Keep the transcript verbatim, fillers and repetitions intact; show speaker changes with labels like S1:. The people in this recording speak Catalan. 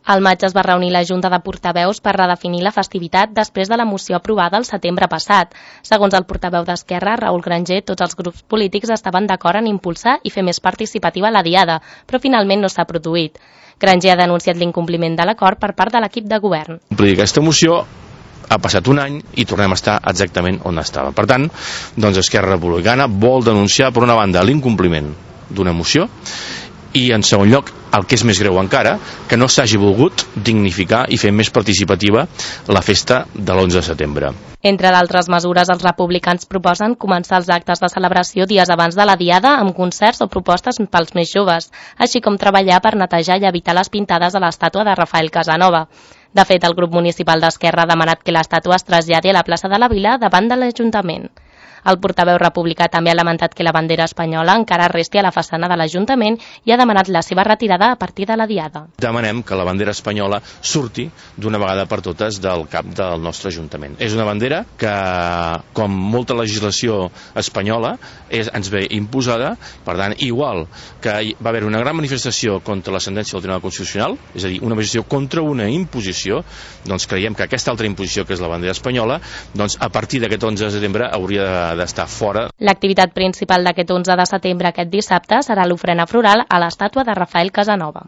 S1: Al maig es va reunir la Junta de Portaveus per redefinir la festivitat després de la moció aprovada el setembre passat. Segons el portaveu d'Esquerra, Raül Granger, tots els grups polítics estaven d'acord en impulsar i fer més participativa la diada, però finalment no s'ha produït. Granger ha denunciat l'incompliment de l'acord per part de l'equip de govern.
S2: Aquesta moció ha passat un any i tornem a estar exactament on estava. Per tant, doncs Esquerra Republicana vol denunciar, per una banda, l'incompliment d'una moció i, en segon lloc, el que és més greu encara, que no s'hagi volgut dignificar i fer més participativa la festa de l'onze de setembre.
S1: Entre d'altres mesures, els republicans proposen començar els actes de celebració dies abans de la diada amb concerts o propostes pels més joves, així com treballar per netejar i evitar les pintades a l'estàtua de Rafael Casanova. De fet, el grup municipal d'Esquerra ha demanat que l'estàtua es traslladi a la plaça de la Vila davant de l'Ajuntament. El portaveu republicà també ha lamentat que la bandera espanyola encara resti a la façana de l'Ajuntament i ha demanat la seva retirada a partir de la diada.
S2: Demanem que la bandera espanyola surti d'una vegada per totes del cap del nostre Ajuntament. És una bandera que, com molta legislació espanyola, és, ens ve imposada. Per tant, igual que va haver una gran manifestació contra la sentència del Tribunal Constitucional, és a dir, una manifestació contra una imposició, doncs creiem que aquesta altra imposició, que és la bandera espanyola, doncs a partir d'aquest onze de setembre hauria de d'estar fora.
S1: L'activitat principal d'aquest onze de setembre aquest dissabte serà l'ofrena floral a l'estàtua de Rafael Casanova.